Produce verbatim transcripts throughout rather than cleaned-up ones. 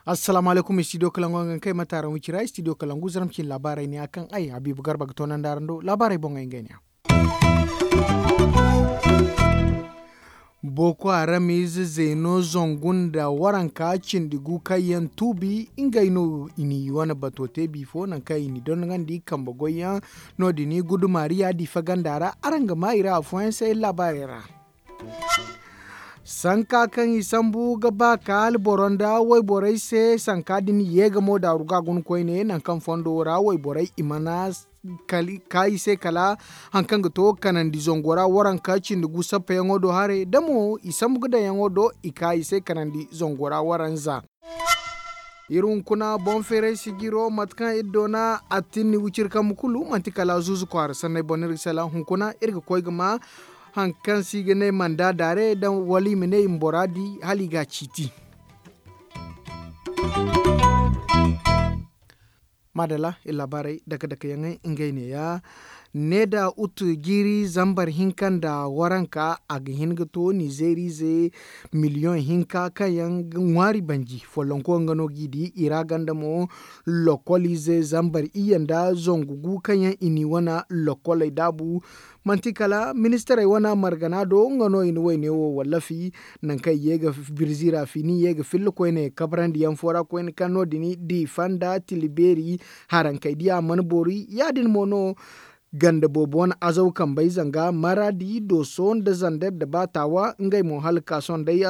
Assalaamu alaykum, istidiyo kalangu yaŋ ga kay mate araŋ wicira istidiyo kalangu zaramcin laabaarey ne ya kaŋ ay habiibu garba ga toonandi araŋ do laabaarey boŋey ngey ne ya. Boko haram ize zeeno zangu nda waranka cindi gu kaŋ yaŋ tuubi ngey no i n'i wane bato te bifo nangu kaŋ i n'i dondonandi kambe goyyaŋ. No- din gudumaari ya diifa ganda ra araŋ ga maa i ra afooyaŋ se laabaarey ra. Sanka kaŋ i sambu ga ba ka alboro nda wayborey se sanka din yeega mo daaru ga a guna koyne nangu kaŋ fondo ra wayborey i mana ka i se kala hari kaŋ ga to kanandi zango ra waranka cindi gu sappayaŋo do haray da mo i sambu ga daŋyaŋo do i ka i se kanandi zango ra waranza. Iri hunkuna boŋ feeray sijiro mate kaŋ iri doona attinni wiciri kambe kulu manti kala zuuzu kwaara sanney boŋ no iri ga sala hunkuna iri ga koy ga ma hari kaŋ se i ga ne manda daare wala i ma ne i ma bora di hala i ga a ciiti. Maadalla iri laabaarey dake dake yaŋey ngey neeya. Ne da utu jiiri zambar hinka nda waranka a ga hin ga to nizeeriize miliyoŋ hinka kaŋ yaŋ ga ŋwaari banji follonko nga no g'i di i ra ganda mo. Lokoliize zambar iyye nda zangu gu kaŋ yaŋ i n'i wane lokoley daabu. Manti kala ministarey wane margana do nga no i na wayne wo wallafi. Nangu kaŋ i ye ga birzi ra fiini i ye ga filla koyne kabrandi yaŋ fo ra koyne kaŋ no- din diifa nda tila beeri harankey diya mana boori ya- din mo no. Ganda boobo wane azaw kambey zanga maradi dooso nda zander nda baatawa ngey mo hala ka sohõ day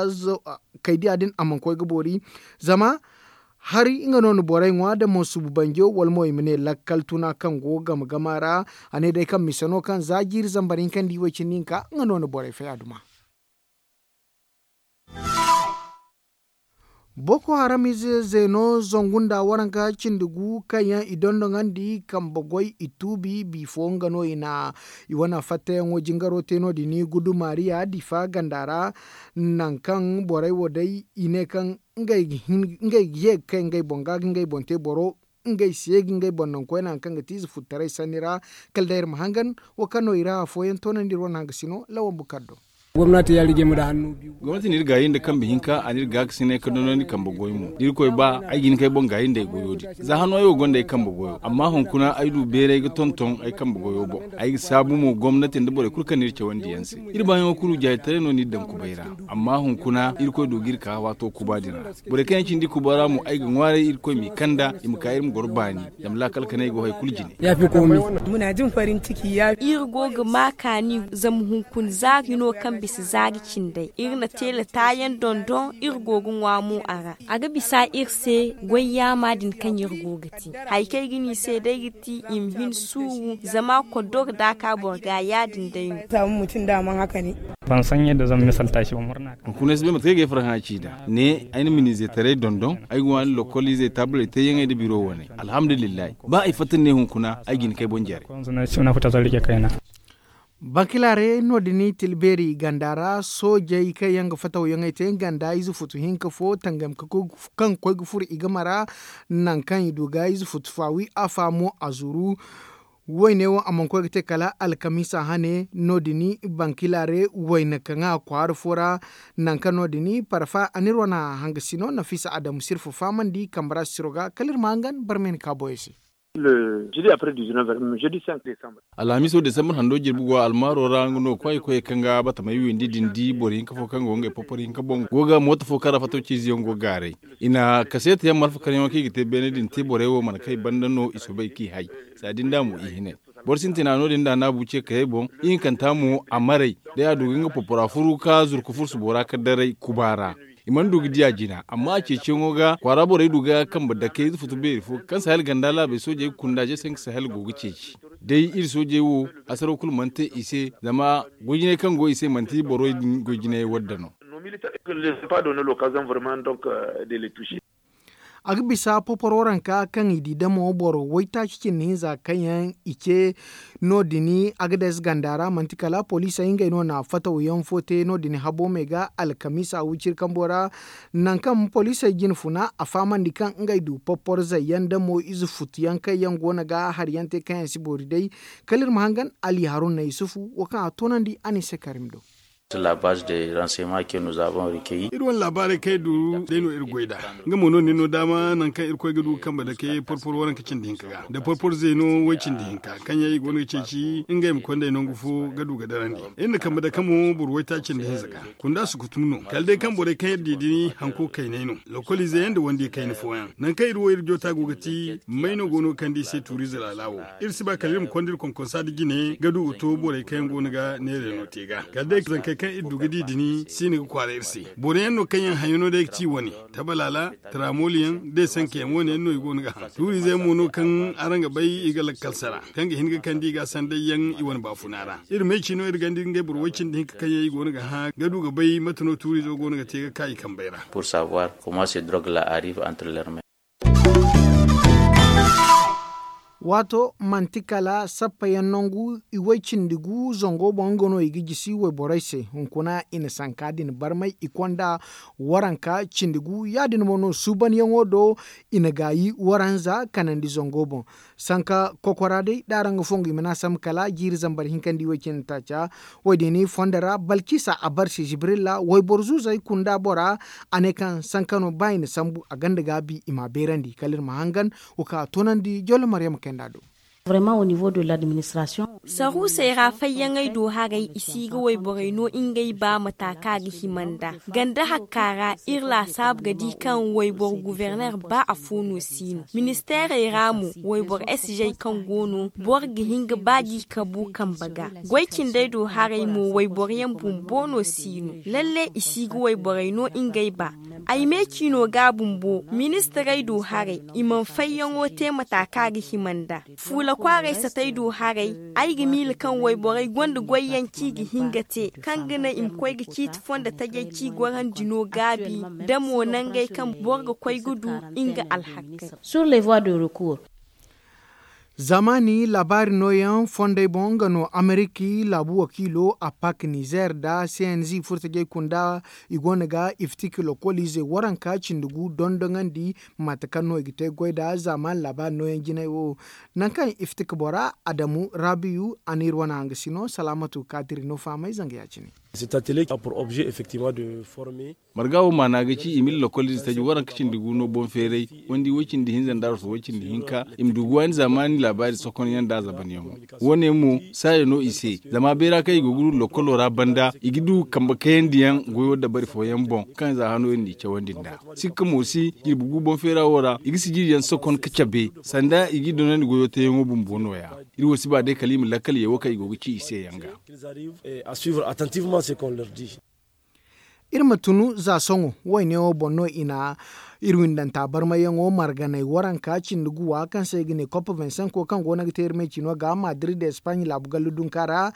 kay diya din a mana koy ga boori. Zama hari nga no na borey ŋwa da mo subu banjo wala mo i ma ne lakkal tuna kaŋ go game gama ra. A ne day kaŋ mise no kaŋ za jiiri zambar hinka nda i way cindi hinka nga no na borey fay a duma. Boko haram ize zeeno zangu nda waranka cindi gu kaŋ yaŋ i dondoŋandi kambe goy i tuubi bifo nga no i na i wane fattayaŋo jingaro te no- din gudumaariya diifa ganda ra. Nangu kaŋ borey wo day i ne kaŋ ngey ga ye ga kay ngey boŋ ga ga ngey boŋ te boro ngey se ga ngey boŋ naŋ koyne hari kaŋ ga ti ize futtaray sanni ra. Kala day iri ma hangan wo kaŋ no i ra afooyaŋ toonandi iri wane hangasino lawan bukar do. Gomnati n'iri gaayi nda kambe hinka a n'iri gaakasinay ka dondon iri kambe goy mo da irkoy ba ay ga hin k'ay boŋ gaayi nda ay goyo din. Za hano ay wo gonda ay kambe goyo amma hunkuna ay du beeray ga tonton ay kambe goyo boŋ. Ay ga saabu mo gomnati nda borey kulu kaŋ n'iri cawandi yaŋ se. Iri baayaŋo kulu jaayitaray no n'iri daŋ kubay ra. Amma hunkuna irkoy du g'iri ka waato kuba din ra. Borey kaŋ yaŋ cindi kuba ra mo ay ga ŋwaaray irkoy m'i kanda i ma ka iri ma goro baani. Zama laakal kanay go hari kulu jine. Iri go ga ma kaani zama hunkuna zaari hino kaŋ bisa zaari cindey iri na teela taayaŋ dondon iri go ga ŋwa mo a ra. A ga bisa iri se goy yaama din kaŋ iri go ga te hari kaŋ ay ga ne i se day ga ti i ma hin suuru zama koddor da a ka boro ga ya- din day no. Hunkuna ay si bay mate kaŋ ay ga ay farhã ci nd'a ne ay na miniize taray dondon ay ga waani lokol izey taabaley teeyaŋey nda biro waney. Alhamdulillahi ba ay fatta ni ne hunkuna ay ga hin k'ay boŋ jare. Bankilaare no- din tila beeri ganda ra soojey kaŋ yaŋ ga fatawyaŋey te ganda ize futu hinka fo tangam kaŋ ga koy ga furo i game ra. Nangu kaŋ i du ga ize futu faawi afa mo a zuru. Wayne wo a mana koy ga te kala alkamiisa hane no- din bankilaare wayne kaŋ a kwaara fo ra. Nangu kaŋ no- din parfa a n'iri wane hangasino nafiisa adamu sirfa fahamandi kambe ra siro ga kala iri ma hangan barmay na ka boyey se. Alhamiiso desambar hando jirbi go almaaro ra nga no kwaay koyey kaŋ ga batamey windi din di boro hinka fo kaŋ go ngey popor hinka boŋ go ga mooto fo kaŋ ra fattaw ciize yaŋ go gaaray. I na kaseeta yaŋ malfa karyaŋo kaŋ i ga te beene din te borey wo mana kay banda no i soobay k'i hay. Za din da mo i hinay boro sintina no- din da naabu ce kayey boŋ ihinkanta mo a maray. Day a du ga nga popora furu ka zuru ka fursu bora ka daray kuba ra. I mana du ga di a jina amma a ceeciyaŋo ga kwaara borey du ga kambe dake ize futu beeri fo kaŋ sahel ganda laabey soojey ga kunda je se nga sahel go ga ceeci. Day iri soojey wo hasaraw kulu mana te i se zama goy-jinay kaŋ go i se manti borey din goy-jinay wadda no. A ga bisa poporo ranka kaŋ i di damo boro waytaaci cindi hinza kaŋ yaŋ i ce no- din. Agades ganda ra manti kala poliisey ngey no na fataw yaŋ fo te no- din habo me ga alkamiisa wiciri kambo ra. Nangu kaŋ poliisey jina funa a fahamandi kaŋ ngey du poporzey yaŋ damo ize futu yaŋ kaŋ yaŋ go no ga hari yaŋ te kaŋ yaŋ si boori day. Kala iri ma hangan ali haruna yusufu wo kaŋ a toonandi a ne se karim do. Iri wane laabaarey kaŋ iri du day no iri goy nd'a. Nga mo no ni no daama nangu kaŋ irkoy ga du ga kambe dake porpor waranka cindi hinka ga nda porpor zeeno way cindi hinka kaŋ yaŋ i go no ga ceeci ngey ma konday nangu fo ga du ga darandi. Iri na kambe dake mo boro waytaaci cindi hinza ga. Kunda sukutum no kala day kaŋ borey kaŋ iri di din hanko kaynay no. Lokoliize yaŋ nda wandi kayna fooyaŋ nangu kaŋ iri wo iri joota go ga ti may no go no ga kande i se tuuriize laala wo. Iri si ba kala iri ma konda iri konkonsa nda jine ga du ga to borey kaŋ yaŋ go no ga neera yaŋo te ga kala day zankey kaŋ iri du ga di din si no ga kwaara iri se. Boro yaŋ no kaŋ yaŋ hayo no day ga ci wane, tabalaala, taramooli yaŋ, da i sanka yaŋ wane yaŋ no i go no ga haŋ tuuriize yaŋ mo no kaŋ araŋ ga bay i ga lakkal sara kaŋ ga hin ga kande i ga sanday yaŋ i wane baafuna ra. Iri ma ay ci no iri ganda iri ngey boro way cindi hinka kaŋ yaŋ i go no ga hã ga du ga bay mate no tuuriizo go no ga te ga ka i kambey ra. Pour savoir comment se drog la arrive entre leur main. Waato manti kala sappa yaŋ nangu i way cindi gu zango boŋ nga no i ga jisi wayborey se. Hunkuna i na sanka din barmay i konda waranka cindi gu ya- din mo no suubanyaŋo do. I na gaayi waranza kanandi zango boŋ sanka kokora day da araŋ ga fongu i ma ne a sambu kala jiiri zambar hinka nda i way cindi taaca. Wo- din fondo ra balkisa a barsi jibrilla wayboro zuuzey kunda bora. A ne kaŋ sanka no ba i na sambu a gonda gaabi i m'a beerandi kala iri ma hangan. Wo kaŋ a toonandi jollo maryama kaynd'a do. Saruusey ra fayyaŋey do haray i si ga wayborey no ngey ba mata kaŋ a ga hima nd'a. Ganda hakka ra iri laasaabu ga di kaŋ wayboro guverner ba afo no si no. Ministeerey ra mo wayboro s j kaŋ go no boro ga hin ga ba ga i kabu kambe ga. Goy cindey do haray mo wayboro yaŋ bumbo no si no. Lalle i si ga wayborey no ngey ba. Ay me ciino ga bumbo ministirey do haray i mana fayyaŋo te mata kaŋ a ga hima nd'a. Fuula kwaaray satey do haray. Ay ga miila kaŋ wayborey gonda goyyaŋ kaŋ i ga hin ga te kaŋ ga naŋ i ma koy ga ciiti fondo tajey kaŋ i gorandi no gaabi. Da mo nangey kaŋ boro ga koy ga du nga alhakkey. Zamaani laabaari nooyaŋ fondey boŋ nga no ameriki laabu wakiilo apak nizer nda c n z furtajey kunda. I go no ga iftik lokoliize waranka cindi gu dondoŋandi mate kaŋ no i ga te goy nd'a zamaani laabaari nooyaŋ jinay wo. Nangu kaŋ iftik bora adamu rabiyu a n'iri wane hangasino salaamatu kaadiri no fahamay zanga ya- cine. Marga wo maana ga ci i ma iri lokoliize taji waranka cindi gu no boŋ feeray wandi way- cindi hinza nda arwasu way- cindi hinka i ma du ga waani zamaani laabaari sokonyaŋ nda zabanyaŋo. Wo- ne mo saaya no i se zama beera kaŋ i go ga du lokolo ra banda i ga du kambe kayandiyaŋ goyo dabari fooyaŋ boŋ kaŋ za hano iri n'i cawandi nd'a. Sikka mo si jirbi gu boŋ feera wo ra i ga sijiriyaŋ sokon ga cabe sanda i g'i donandi goyo teeyaŋo bumbo nooya. Iri wo si ba day kala i ma lakkal ye wo kaŋ i go ga ci i se yaŋ ga. Iri ma tunu za sohõ wayne wo boŋ no i na iri windanta barmayyaŋo marganay waranka cindi guwa kaŋ se i ga ne cop vingt cinq wo kaŋ go no ga te iri me cino ga madrid espagne laabu gallu dunka ra.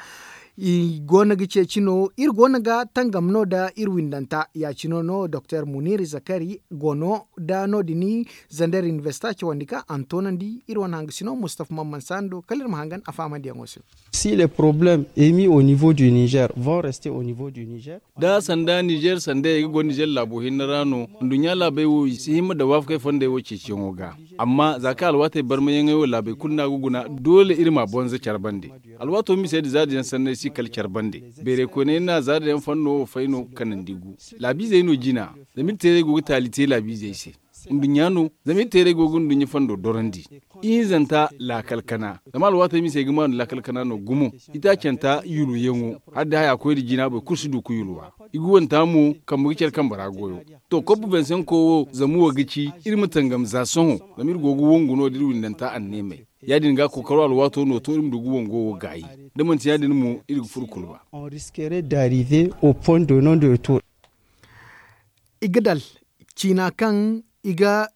I go no ga ceeci no iri go no ga tangam no nda iri windanta ya- cino no doktor munir zakari go no nda no- din zander universita cawandi kaŋ a na toonandi iri wane hangasino mustafa mamman sando kala iri ma hangan a fahamayaŋo se. Si les problèmes émis au niveau du niger vont rester au niveau du niger. Da sanda nizer sandey ga goro nizer laabo hinne ra no. Nduɲɲa laabey wo i si hima nda waafakey fondey wo ceeciyaŋo ga. Amma za kaŋ alwaatey barmayaŋey wo laabey kulu no a ga guna doole iri m'a bonza care bande. Alwaato misey nda zaada yaŋ sanney si kala care bande. Beerey koyney na zaada yaŋ fanno wo fay no ga kanandi gu. Laabiizey no jina. Zama iri teerey go ga taali te laabiizey se. Nduɲɲa no zama iri teerey go ga nduɲɲa fondo dorandi. Ihinzanta laakal kana zama alwaatey misey ga maanu laakal kana no gumo. Itaacanta yulwayaŋo hala da haya koy nda jina boro kulu si du ga yulwa. I ga wanta mo kambe ga care kambe ra goyo. To kopp vingt cinq wo zama wo ga ci iri ma tangam za sohõ. Zama iri go ga wangu no da iri windanta anneemey. Ya- din ga kookaro alwaato no to iri ma du ga wango wo gaayi. Da manti ya- din mo iri ga furo kulba. On risquerait d'arriver au point de non de retour. I ga dal ciina kaŋ i ga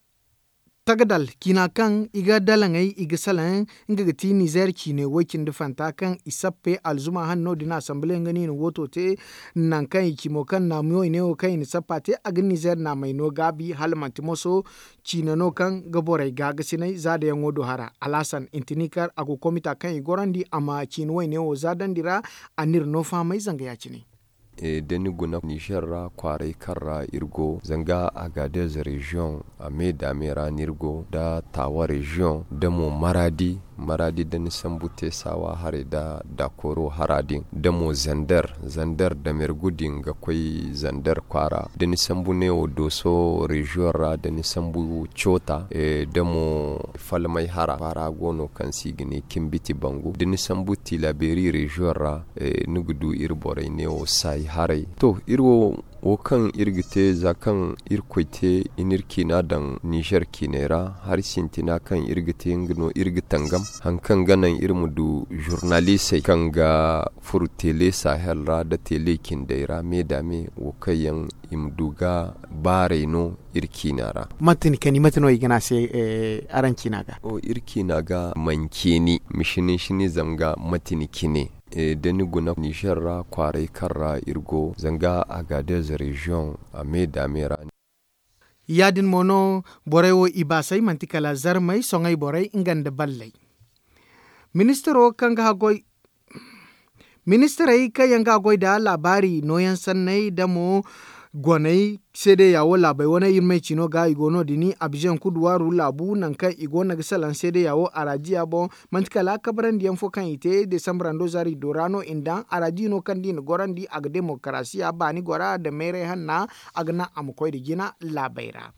Tagadal ciina kaŋ i ga dalaŋey i ga salaŋ nga ga ti nizeer ciine woy-cindi fanta kaŋ i sappe alzuma hanno din asanbile nga no i na wooto te. Nangu kaŋ i ci mo kaŋ naamiyoy ne wo kaŋ i na sappa te a ga nizeer naamey no gaabi hala manti moso ciine no kaŋ ga borey gaagasinay za dayaŋo do hara. Alhasan intinikar a go komita kaŋ i gorandi a ma ciine woyne wo zaadandi ra. A n'iri no fahamay zanga ya- cine. Da ni guna nizer ra kwaaray kaŋ ra iri go zanga agadez reziyoŋ a me daame ra no iri go nda taawa reziyoŋ nda mo maraadi. Maraadi da ni sambu te saawa haray nda dakoro hara din nda mo zander zander damergu din ga koy zander kwaara da ni sambu neewo dooso reziyoŋ ra da ni sambu coota nda mo falmay hara kwaara go no kaŋ se i ga ne kimbiti bangu da ni sambu tilabeeri reziyoŋ ra ni ga du iri borey neewo saayi haray. To iri wo wo kaŋ iri ga te za kaŋ irkoy te i n'iri ciina daŋ nizer ciiney ra hari sintina kaŋ iri ga te nga no iri ga tangam hari kaŋ ga naŋ iri ma du zurnalisey kaŋ ga furo tele sahel ra nda tele cindey ra me da me wo kaŋ yaŋ i ma du ga baarey no iri ciina ra. Mate ni kani mate no i ga ne a se araŋ ciina ga? Iri ciina ga manci ni ma sini sini zama ga mate ni cine da ni guna nizer ra kwaaray kaŋ ra iri go zanga agadez reziyoŋ a me da me ra. Ya- din mo no borey wo i baasay manti kala zarmey soŋay borey nga nda balley. Ministiro kaŋ ga haggoy ministirey kaŋ yaŋ ga a goy nda laabaari nooyaŋ sanney nda mo goney seedeya wo laabey wane iri ma ay ci no ga i go no- din abizaŋ kuduwaaru laabu nangu kaŋ i go no ga salaŋ seedeya wo arajiya boŋ. Manti kala kabarandiyaŋ fo kaŋ i te desambarando zaari do ra no i na daŋ arajiya no kaŋ da i na gorandi a ga demokarasiya baani gora nda meeray hanna. A ga naŋ a ma koy nda jina laabey ra.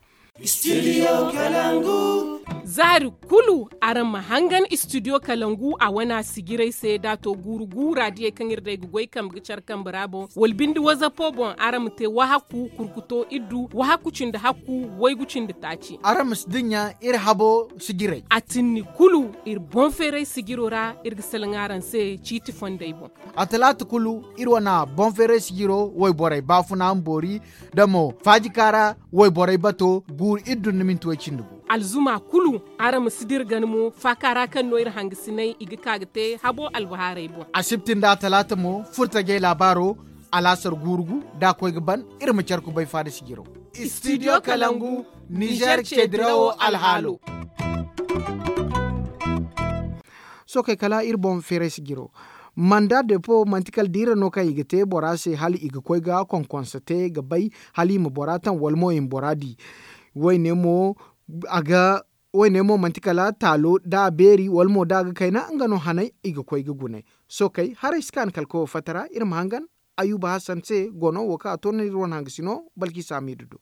Zaari kulu araŋ ma hangan istidiyo kalangu a wana sijirey se da a to guuru guura diyey kaŋ iri day ga goy kambe ga care kambe ra boŋ wala binde wazapo boŋ araŋ ma te wahakku kurkuto iddu wahakku cindi hakku waygu cindi taaci. Araŋ ma si dinya iri habo sijirey a tinni kulu iri boŋ feeray sijiro ra iri ga salaŋ araŋ se ciiti fondey boŋ. A talaata kulu iri wane boŋ feeray sijiro wayborey baafuna ma boori da mo faajika ra wayborey bato guuru iddu nda minti way cindi gu. Alzuma kulu araŋ ma si dira gana mo faaka ra kaŋ no iri hangasinay i ga ka ga te habo albahaarey boŋ. Asibti nda talaata mo furtajey laabaaro alaasar guuru gu da a koy ga ban. Iri ma care kubay faada sijiro. Istidiyo kalangu nizer ceedirawo alhaalo. Sookey kala iri boŋ feeray sijiro. Manda depo manti kala diira no kaŋ i ga te bora se hala i ga koy ga konkonsa te ga bay hala i ma bora taŋ wala mo i ma bora di. Woyne mo a ga woyne mo manti kala taalo da a beeri wala mo da a ga kayna nga no hanay i ga koy ga gunay. Sookey haray si kaani kala koyo fatta ra iri ma hangan. Ayuba hasan se gono wo kaŋ a to no iri wane hangasino balki saamiidu do.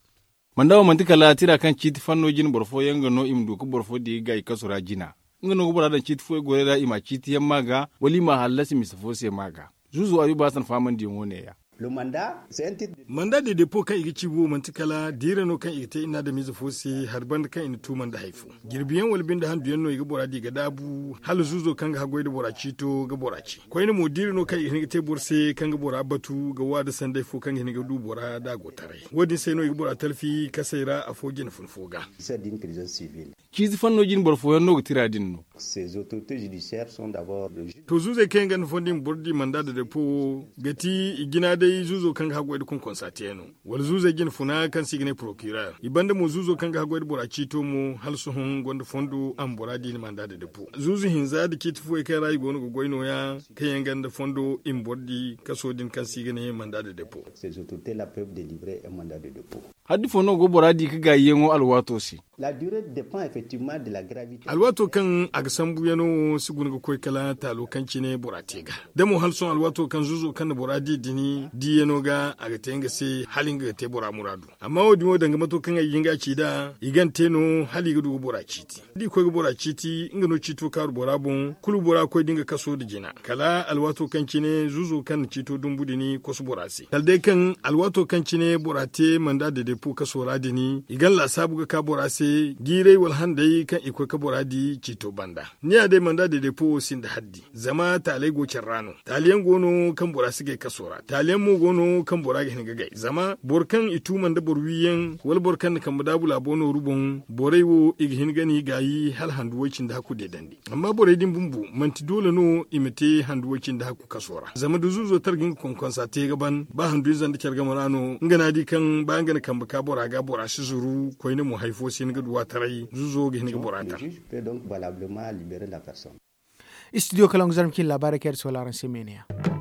Manda wo manti kala tira kaŋ ciiti fanno jine boro fooyaŋ ga no i ma du ga boro fo di ga i kasu ra jina. Nga no ga bora daŋ ciiti fooyaŋ goray ra i ma a ciiti yaŋ ma ga wala i ma a hallasi mise fo se ma ga. Zuuzo ayuba hasan faamandiyaŋo ne- ya. Manda de depo kaŋ i ga ci wo manti kala diira no kaŋ i ga te i na adamize fo se hari banda kaŋ i na tuuma nda hari fo. Jirbiyaŋ wala binde handuyaŋ no i ga bora di ga daabu hala zuuzo kaŋ ga haggoy nda bora ciito ga bora ci koyne mo diira no kaŋ i ga hin ga te boro se kaŋ ga bora batu ga waada sanday fo kaŋ ga hin ga du bora da a go taray. Wo- din se no i ga bora talfi kasey ra afo jine fun fo ga. Ciiti fanno jine boro fooyaŋ no ga tira din no. To zuuzey kaŋ yaŋ gonda fondo i ma boro di manda da depo wo ga ti i jina day zuuzo kaŋ ga haggoy nda konkonsa te no wala zuuzey jine funa kaŋ se i ga ne porokirer i banda mo zuuzo kaŋ ga haggoy nda bora ciito mo hala sohõ gonda fondo a ma bora di ni manda da depo zuuzu hinza da ciiti fooyaŋ kaŋ ra i go no ga goy no- ya kaŋ yaŋ gonda fondo i ma boro di kaso din kaŋ se i ga ne manda da depo. Haddi fo no go bora di ga gaayiyaŋo alwaato se? Alwaato kaŋ a ga sambu yaŋo wo si guna ga koy kala taalo kaŋ cine bora te ga da mo hala sohõ alwaato kaŋ zuuzo kaŋ na bora di din di yaŋo ga a ga te nga se hala nga ga te bora muraadu. Amma wo- din wo danga mato kaŋ ay ga hin ga a ci nd'a i ga ni te no hala i ga du ga bora ciiti da i koy ga bora ciiti nga no ciito kaaru bora boŋ kulu bora ga koy da nga kaso nda jina kala alwaato kaŋ cine zuuzo kaŋ na ciito dumbu din kosu bora se kala day kaŋ alwaato kaŋ cine bora te manda da depo kaso ra din i ga ni laasaabu ga ka bora se jiiray wala Day kaŋ i koy ka bora di ciito banda, ni ya day manda deedeepo wo sinda haddi. Zama taaley go care ra no. Taali yaŋ go no kaŋ bora si gay kaso ra. Taali yaŋ mo go no kaŋ bora ga hin ga gay zama boro kaŋ i tuuma nda boro wi yaŋ wala boro kaŋ na kambe daabu laabo nooru boŋ, borey wo i ga hin ga ni gaayi hala handu way cindi hakku deedandi. Amma borey din bumbo manti doole no i ma te handu way cindi hakku kaso ra zama da zuuzo tara ga nga konkonsa te ga ban ba handu ize nda care game ra no nga no a di kaŋ ba nga na kambe ka bora ga bora si zuru koyne mo hari fo si hin ga du waataray zuuzo ga hin ga bora tara. Studio kalaŋ ga zarma kaŋ iri laabaarey kaŋ iri sohõ laaraŋ se meene yaŋ.